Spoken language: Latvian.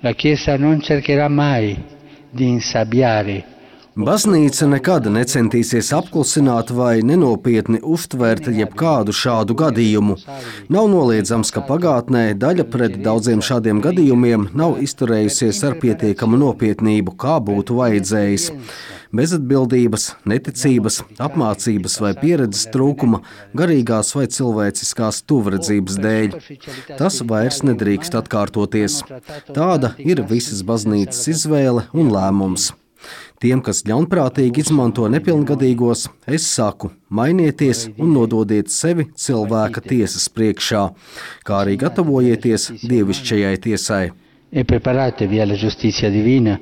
La Chiesa non cercherà mai di insabbiare. Baznīca nekad necentīsies apklusināt vai nenopietni uztvert jebkādu šādu gadījumu. Nav noliedzams, ka pagātnē daļa pret daudziem šādiem gadījumiem nav izturējusies ar pietiekamu nopietnību, kā būtu vajadzējis. Bezatbildības, neticības, apmācības vai pieredzes trūkuma, garīgās vai cilvēciskās tuvredzības dēļ. Tas vairs nedrīkst atkārtoties. Tāda ir visas baznīcas izvēle un lēmums. Tiem, kas ļaunprātīgi izmanto nepilngadīgos, es saku, mainieties un nododiet sevi cilvēka tiesas priekšā, kā arī gatavojieties dievišķajai tiesai. E preparatevi alla giustizia divina.